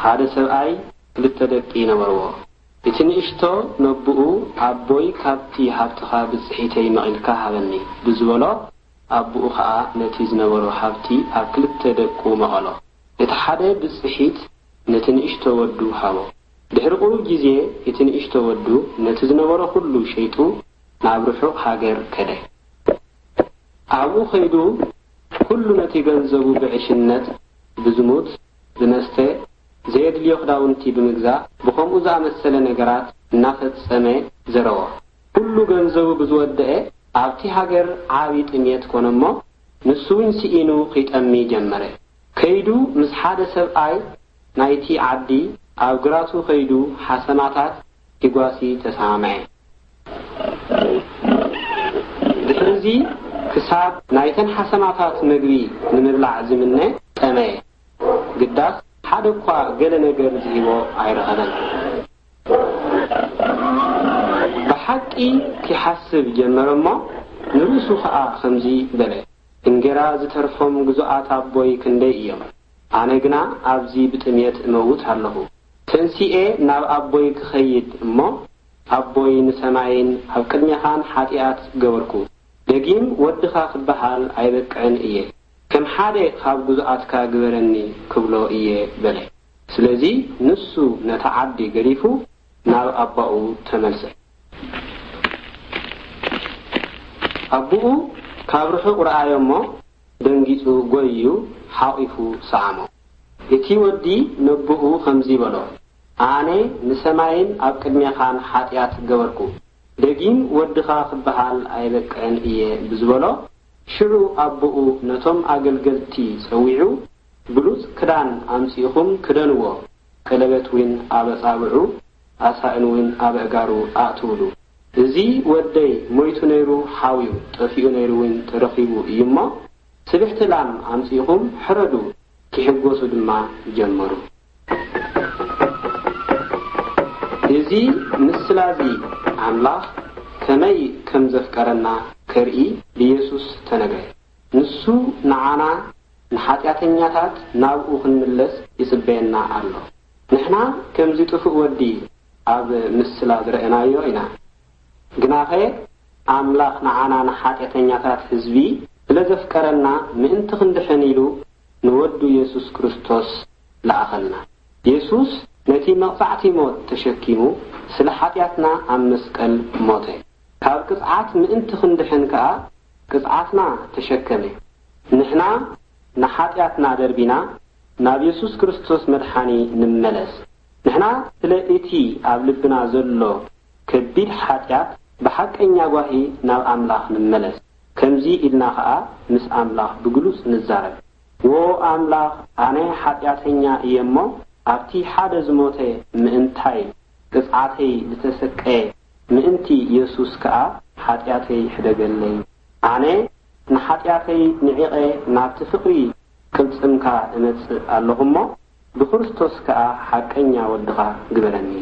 ሓደ ሰብኣይ ክልተ ደቂ ነበርዎ። እቲ ንእሽቶ ነቦኡ፣ "ኣቦይ፣ ካብቲ ሃብትኻ ብጽሒተይ መቒልካ ሃበኒ" ብዝበሎ፣ ኣቦኡ ኸኣ ነቲ ዝነበሮ ሃብቲ ኣብ ክልተ ደቁ መቐሎ። እቲ ሓደ ብጽሒት ነቲ ንእሽቶ ወዱ ሃቦ። ድሕሪ ቁሩብ ግዜ እቲ ንእሽቶ ወዱ ነቲ ዝነበሮ ኹሉ ሸይጡ ናብ ርሑቕ ሃገር ከደ። ኣብኡ ኸይዱ ኩሉ ነቲ ገንዘቡ ብዕሽነት፣ ብዝሙት፣ ብመስተ፣ ዘየድልዮ ክዳውንቲ ብምግዛእ፣ ብኸምኡ ዝኣመሰለ ነገራት እናፈጸመ ዘረወ። ኩሉ ገንዘቡ ብዝወደአ፣ ኣብቲ ሃገር ዓቢ ጥሜት ኮነ እሞ፣ ንሱ እውን ስኢኑ ኺጠሚ ጀመረ። ከይዱ ምስ ሓደ ሰብኣይ ናይቲ ዓዲ ኣብ ግራቱ ኸይዱ ሓሰማታት ኪጓሲ ተሰማምዐ። ድሕርዚ ክሳብ ናይተን ሓሰማታት ምግቢ ንምብላዕ ዝምነ ጠመየ። ግዳስ ሓደ እኳ ገለ ነገር ዝሂቦ ኣይረኸበን። ብሓቂ ኪሓስብ ጀመረ እሞ ንርእሱ ኸኣ ኸምዚ በለ፣ "እንጌራ ዝተርፎም ግዙኣት ኣቦይ ክንደይ እዮም? ኣነ ግና ኣብዚ ብጥሜት እመውት ኣለኹ። ተንሲኤ ናብ ኣቦይ ክኸይድ እሞ ኣቦይ ንሰማይን ኣብ ቅድሜኻን ሓጢኣት ገበርኩ። ደጊም ወድኻ ክበሃል ኣይበቅዕን እየ። ከም ሓደ ካብ ግዙኣትካ ግበረኒ ክብሎ እየ" በለ። ስለዚ ንሱ ነታ ዓዲ ገዲፉ ናብ ኣባኡ ተመልሰ። ኣቦኡ ካብ ርሑቕ ረኣዮ እሞ ደንጊጹ ጎይዩ ሓቒፉ ሰዓሞ። እቲ ወዲ ነቦኡ ኸምዚ በሎ፣ "ኣነ ንሰማይን ኣብ ቅድሜኻን ሓጢኣት ገበርኩ። ደጊም ወድኻ ክበሃል ኣይበቅዕን እየ" ብዝበሎ፣ ሽዑ ኣቦኡ ነቶም ኣገልገልቲ ጸዊዑ፣ "ብሉጽ ክዳን ኣምጺእኹም ክደንዎ፣ ቀለበት እውን ኣብ ኣጻብዑ፣ ኣሳእን እውን ኣብ ኣእጋሩ ኣእትውሉ። እዚ ወደይ ሞይቱ ነይሩ ሓውዩ፣ ጠፊኡ ነይሩ እውን ተረኺቡ እዩ እሞ፣ ስብሕቲ ላም ኣምጺእኹም ሕረዱ" ኪሕጎሱ ድማ ጀመሩ። እዚ ምስላ እዚ ኣምላኽ ከመይ ከም ዘፍቀረና ከርኢ ብየሱስ ተነግረ። ንሱ ንዓና ንሓጢኣተኛታት ናብኡ ክንምለስ ይጽበየና ኣሎ። ንሕና ከምዚ ጥፉእ ወዲ ኣብ ምስላ ዝረኣናዮ ኢና። ግናኸ ኣምላኽ ንዓና ንሓጢኣተኛታት ህዝቢ ስለ ዘፍቀረና ምእንቲ ክንድሕን ኢሉ ንወዱ የሱስ ክርስቶስ ለኣኸልና። የሱስ ነቲ መቕጻዕቲ ሞት ተሸኪሙ ስለ ሓጢኣትና ኣብ መስቀል ሞተ። ካብ ቅጽዓት ምእንቲ ክንድሕን ከኣ ቅጽዓትና ተሸከመ። ንሕና ንሓጢኣትና ደርቢና ናብ የሱስ ክርስቶስ መድሓኒ ንመለስ። ንሕና ስለ እቲ ኣብ ልብና ዘሎ ከቢድ ሓጢኣት ብሓቀኛ ጓሂ ናብ ኣምላኽ ንመለስ። ከምዚ ኢልና ኸኣ ምስ ኣምላኽ ብግሉጽ ንዛረብ። "ዎ ኣምላኽ፣ ኣነ ሓጢኣተኛ እየ እሞ፣ ኣብቲ ሓደ ዝሞተ ምእንታይ ቅጽዓተይ ዝተሰቀየ ምእንቲ የሱስ ከኣ ሓጢኣተይ ሕደገለይ። ኣነ ንሓጢኣተይ ንዒቐ ናብቲ ፍቕሪ ቅልጽምካ እመጽእ ኣለኹ እሞ፣ ብክርስቶስ ከኣ ሓቀኛ ወድኻ ግበረኒ"